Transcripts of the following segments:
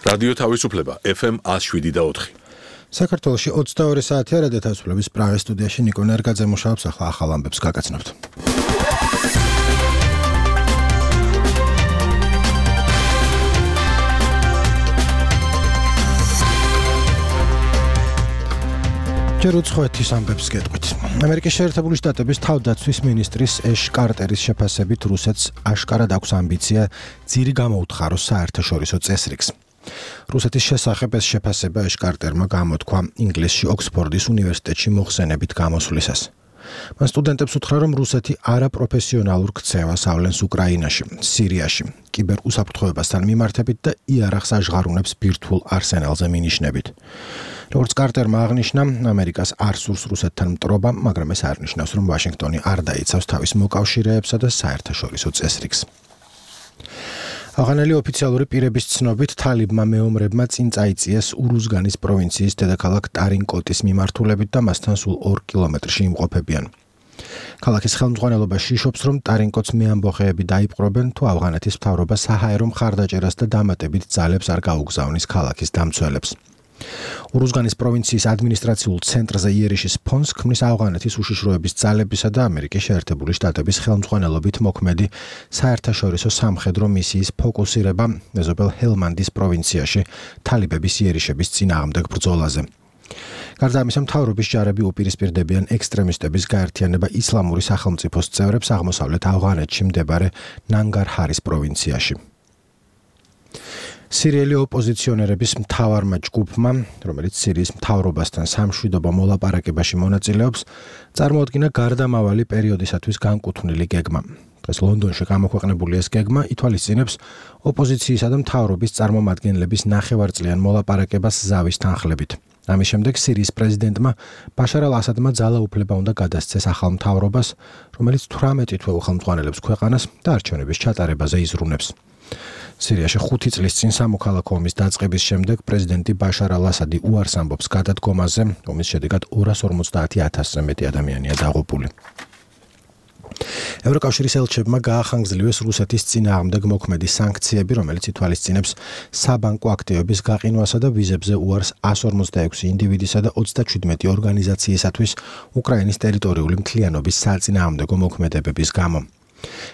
რადიო თავისუფლება FM 107.4. საქართველოში 22 საათია რადიო თავისუფლების პრაღის სტუდიაში ნიკო ნერგაძე მუშაობს, ახლა ახალ ამბებს გაგაცნობთ. ჯერ უცხოეთის ამბებს გეტყვით. ამერიკის შეერთებული შტატების თავდაცვის მინისტრის ეშ კარტერის შეფასებით რუსეთს აშკარად აქვს ამბიცია ძირი გამოუთხაროს საერთაშორისო წესრიგს. რუსეთის შესახებ ეს შეფასება ეშ კარტერმა გამოთქვა ინგლისში ოქსფორდის უნივერსიტეტში მოხსენებით გამოსვლისას. მან სტუდენტებს უთხრა, რომ რუსეთი არაპროფესიონალურ ქცევას ავლენს უკრაინაში, სირიაში, კიბერუსაფრთხოებასთან მიმართებით და იარაღს აჟღარუნებს ბირთვულ არსენალზე მინიშნებით. როგორც კარტერმა აღნიშნა, ამერიკას არ სურს რუსეთთან მტრობა, მაგრამ ეს არ ნიშნავს, რომ ვაშინგტონი არ დაიცავს თავის მოკავშირეებსა და საერთაშორისო წესრიგს. ავღანელი ოფიციალური პირების ცნობით, თალიბმა მეომრებმა წინ წაიწიეს ურუზგანის პროვინციის დედაქალაქ ტარინკოტის მიმართულებით და მასთან სულ 2 კილომეტრში იმყოფებიან. ქალაქის ხელმძღვანელობა შიშობს, რომ ტარინკოტს მეამბოხეები დაიპყრობენ, თუ ავღანეთის მთავრობა საჰაერო მხარდაჭერას და დამატებით ძალებს არ გაუგზავნის ქალაქის დამცველებს. ურუზგანის პროვინციის ადმინისტრაციულ ცენტრზე იერიშის ფონს ქმნის ავღანეთის უშიშროების ძალებისა და ამერიკის შეერთებული შტატების ხელმძღვანელობით მოქმედი საერთაშორისო სამხედრო მისიის ფოკუსირება მეზობელ ჰელმანდის პროვინციაში თალიბების იერიშების წინააღმდეგ ბრძოლაზე. გარდა ამისა, მთავრობის ჯარები უპირისპირდებიან ექსტრემისტების გაერთიანება ისლამური სახელმწიფოს წევრებს აღმოსავლეთ ავღანეთში მდებარე ნანგარჰარის პროვინციაში. სირიელი ოპოზიციონერების მთავარმა ჯგუფმა, რომელიც სირიის მთავრობასთან სამშვიდობო მოლაპარაკებაში მონაწილეობს, წარმოადგინა გარდამავალი პერიოდისათვის განკუთვნილი გეგმა. დღეს ლონდონში გამოქვეყნებული ეს გეგმა ითვალისწინებს ოპოზიციისა და მთავრობის წარმომადგენლების ნახევარწლიან მოლაპარაკებას ზავის თანხლებით. ამის შემდეგ სირიის პრეზიდენტმა ბაშარ ალ-ასადმა ძალაუფლება უნდა გადასცეს ახალ მთავრობას, რომელიც 18 თვე უხელმძღვანელებს ქვეყანას და არჩევნების ჩატარებაზე იზრუნებს. სირიაში 5 წლის წინ სამოქალაქო ომის დაწყების შემდეგ პრეზიდენტი ბაშარ ალ-ასადი უარს ამბობს გადადგომაზე, ომის შედეგად 250,000-ზე მეტი ადამიანია დაღუპული. ევროკავშირის ელჩებმა გაახანგრძლიwes რუსეთის წინააღმდეგ მოქმედი სანქციები, რომელიც ითვალისწინებს საბანკო აქტივების გაყინვასა და ვიზებზე უარს 156 ინდივიდისა და 37 ორგანიზაციისათვის უკრაინის ტერიტორიული მთლიანობის საწინააღმდეგო მოქმედებების გამო.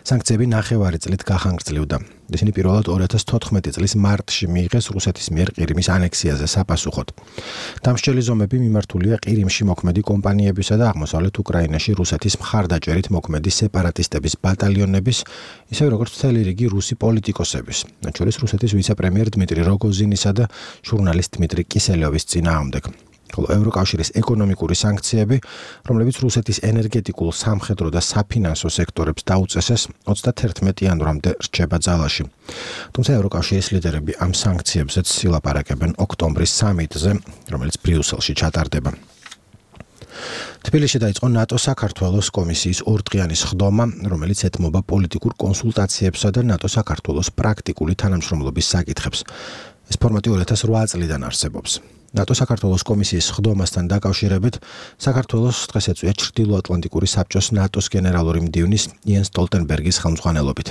სანქციები ნახევარი წლით გაახანგრძლივდა. ისინი პირველად 2014 წლის მარტში მიიღეს რუსეთის მიერ ყირიმის ანექსიაზე sapasუხოდ. დამსჯელი ზომები მიმართულია ყირიმში მოქმედი კომპანიებისა და აღმოსავლეთ უკრაინაში რუსეთის მხარდაჭერით მოქმედი სეპარატისტების ბატალიონების, ისე როგორც მთელი რიგი რუსი პოლიტიკოსების, მათ შორის რუსეთის ვიცე-პრემიერ დმიტრი როგოზინისა და ჟურნალისტ დმიტრი კისელევის წინააღმდეგ. ხოლო ევროკავშირის ეკონომიკური სანქციები, რომლებიც რუსეთის ენერგეტიკულ, სამხედრო და საფინანსო სექტორებს დაუწესეს, 31 იანვრამდე რჩება ძალაში. თუმცა ევროკავშირის ლიდერები ამ სანქციებზეც ილაპარაკებენ ოქტომბრის სამიტზე, რომელიც ბრიუსელში ჩატარდება. თბილისში დაიწყო ნატო-საქართველოს კომისიის ორდღიანი სხდომა, რომელიც ეთმობა პოლიტიკურ კონსულტაციებსა და ნატო-საქართველოს პრაქტიკული თანამშრომლობის საკითხებს. ეს ფორმატი 2008 წლიდან არსებობს. ნატო-საქართველოს კომისიის სხდომასთან დაკავშირებით საქართველოს დღეს ეწვია ჩრდილოატლანტიკური საბჭოს ნატოს გენერალური მდივნის იენს სტოლტენბერგის ხელმძღვანელობით.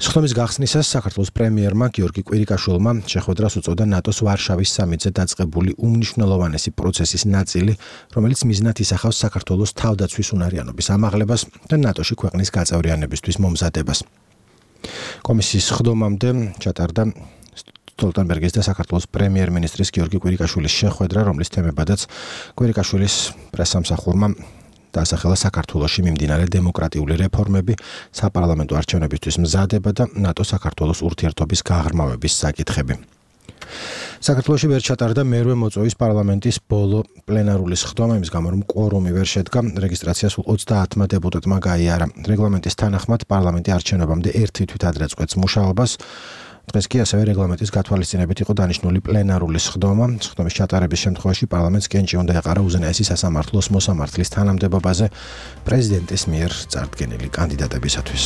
სხდომის გახსნისას საქართველოს პრემიერმა გიორგი კვირიკაშვილმა შეხვედრას უწოდა ნატოს ვარშავის სამიტზე დაწყებული უმნიშვნელოვანესი პროცესის ნაწილი, რომელიც მიზნად ისახავს საქართველოს თავდაცვის უნარიანობის ამაღლებას და ნატოში ქვეყნის გაწევრიანებისთვის მომზადებას. კომისიის სხდომამდე ჩატარდა სტოლტენბერგის და საქართველოს პრემიერ-მინისტრის გიორგი კვირიკაშვილის შეხვედრა, რომლის თემებადაც კვირიკაშვილის პრესსამსახურმა დაასახელა საქართველოში მიმდინარე დემოკრატიული რეფორმები, საპარლამენტო არჩევნებისთვის მზადება და ნატო-საქართველოს ურთიერთობის გაღრმავების საკითხები. საქართველოში ვერ ჩატარდა მერვე მოწვევის პარლამენტის ბოლო პლენარული სხდომა, იმის გამო რომ კვორუმი ვერ შედგა, რეგისტრაცია სულ 30 დეპუტატმა გაიარა. რეგლამენტის თანახმად პარლამენტი არჩევნებამდე 1 თვით ადრე წყვეტს მუშაობას. დღეს კი ასევე რეგლამენტის გათვალისწინებით იყო დანიშნული პლენარული სხდომა. სხდომის ჩატარების შემთხვევაში პარლამენტს კენჭი უნდა ეყარა უზენაესი სასამართლოს მოსამართლის თანამდებობაზე პრეზიდენტის მიერ წარდგენილი კანდიდატებისათვის.